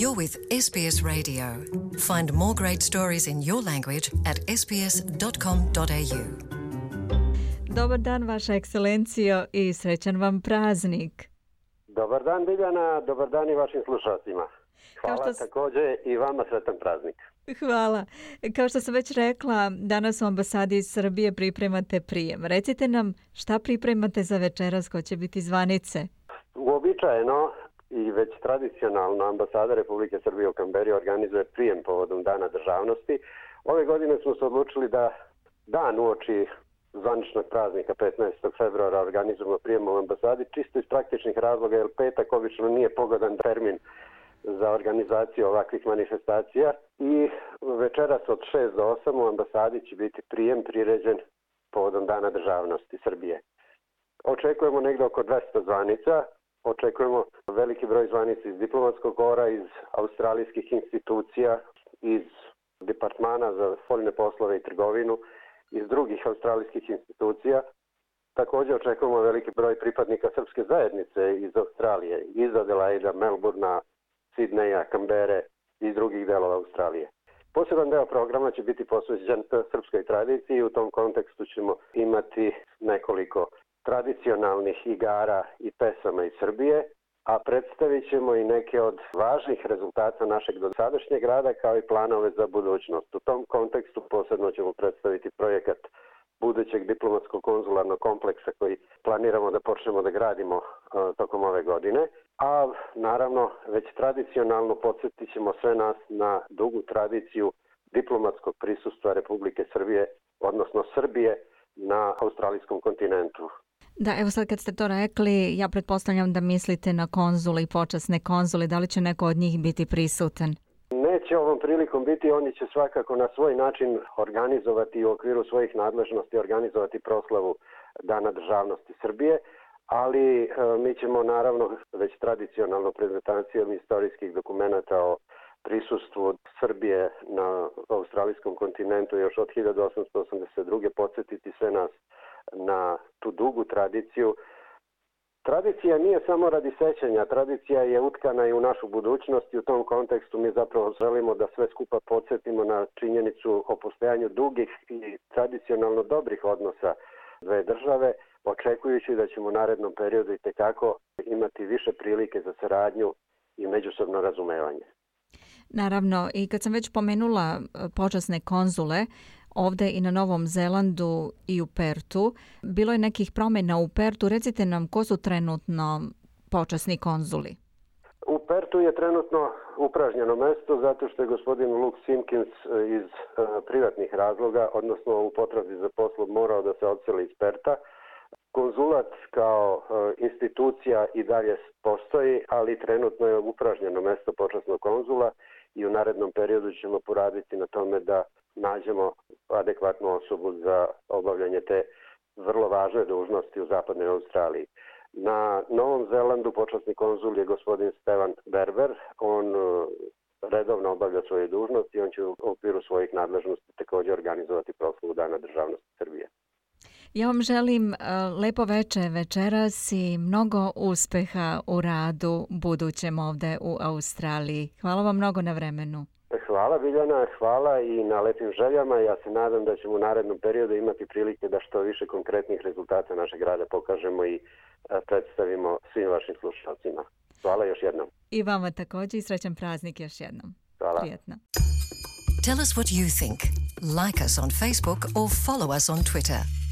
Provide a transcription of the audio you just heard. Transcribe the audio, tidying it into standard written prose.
You're with SBS Radio. Find more great stories in your language at sbs.com.au. Dobar dan, Vaša ekscelencijo, i srećan vam praznik. Dobar dan, Biljana, dobar dan i vašim slušalcima. Hvala također i vama sretan praznik. Hvala. Kao što sam već rekla, danas u ambasadi iz Srbije pripremate prijem. Recite nam šta pripremate za večeras, ko će biti zvanice? Uobičajeno i već tradicionalno ambasada Republike Srbije u Kamberi organizuje prijem povodom Dana državnosti. Ove godine smo se odlučili da dan uoči zvaničnog praznika 15. februara organizujemo prijem u ambasadi, čisto iz praktičnih razloga, jer petak obično nije pogodan termin za organizaciju ovakvih manifestacija. I večeras od 6 do 8 u ambasadi će biti prijem priređen povodom Dana državnosti Srbije. Očekujemo negdje oko 200 zvanica, očekujemo veliki broj zvanica iz diplomatskog kora, iz australijskih institucija, iz departmana za spoljne poslove i trgovinu, iz drugih australijskih institucija. Također očekujemo veliki broj pripadnika srpske zajednice iz Australije, iz Adelaida, Melbourna, Sidneja, Kambere i drugih delova Australije. Poseban deo programa će biti posvećen srpskoj tradiciji i u tom kontekstu ćemo imati nekoliko tradicionalnih igara i pesama iz Srbije, a predstavit ćemo i neke od važnih rezultata našeg dosadašnjeg rada kao i planove za budućnost. U tom kontekstu posebno ćemo predstaviti projekat budućeg diplomatskog konzularnog kompleksa koji planiramo da počnemo da gradimo tokom ove godine. A naravno već tradicionalno podsjetit ćemo sve nas na dugu tradiciju diplomatskog prisustva Republike Srbije, odnosno Srbije na australijskom kontinentu. Da, evo sad kad ste to rekli, ja pretpostavljam da mislite na konzule i počasne konzule. Da li će neko od njih biti prisutan? Neće ovom prilikom biti, oni će svakako na svoj način organizovati u okviru svojih nadležnosti, organizovati proslavu Dana državnosti Srbije, ali mi ćemo naravno već tradicionalno prezentacijom istorijskih dokumenata o prisustvu Srbije na australijskom kontinentu još od 1882. podsjetiti sve nas na tu dugu tradiciju. Tradicija nije samo radi sećanja, tradicija je utkana i u našu budućnost i u tom kontekstu mi zapravo želimo da sve skupa podsjetimo na činjenicu o postojanju dugih i tradicionalno dobrih odnosa dve države, očekujući da ćemo u narednom periodu i tekako imati više prilike za saradnju i međusobno razumevanje. Naravno, i kad sam već pomenula počasne konzule, ovde i na Novom Zelandu i u Pertu, bilo je nekih promjena u Pertu. Recite nam ko su trenutno počasni konzuli? U Pertu je trenutno upražnjeno mesto zato što je gospodin Luke Simpkins iz privatnih razloga, odnosno u potrazi za poslom, morao da se odseli iz Perta. Konzulat kao institucija i dalje postoji, ali trenutno je upražnjeno mesto počasnog konzula i u narednom periodu ćemo poraditi na tome da nađemo adekvatnu osobu za obavljanje te vrlo važne dužnosti u zapadnoj Australiji. Na Novom Zelandu počasni konzul je gospodin Stevan Berber. On redovno obavlja svoje dužnosti i on će u okviru svojih nadležnosti također organizovati proslavu Dana državnosti Srbije. Ja vam želim lepo veče večeras i mnogo uspeha u radu budućem ovde u Australiji. Hvala vam mnogo na vremenu. Hvala Biljana, hvala i na lepim željama. Ja se nadam da ćemo u narednom periodu imati prilike da što više konkretnih rezultata našeg rada pokažemo i predstavimo svim vašim slušalcima. Hvala još jednom. I vama također i srećan praznik još jednom. Hvala. Prijetno. Tell us what you think. Like us on Facebook or follow us on Twitter.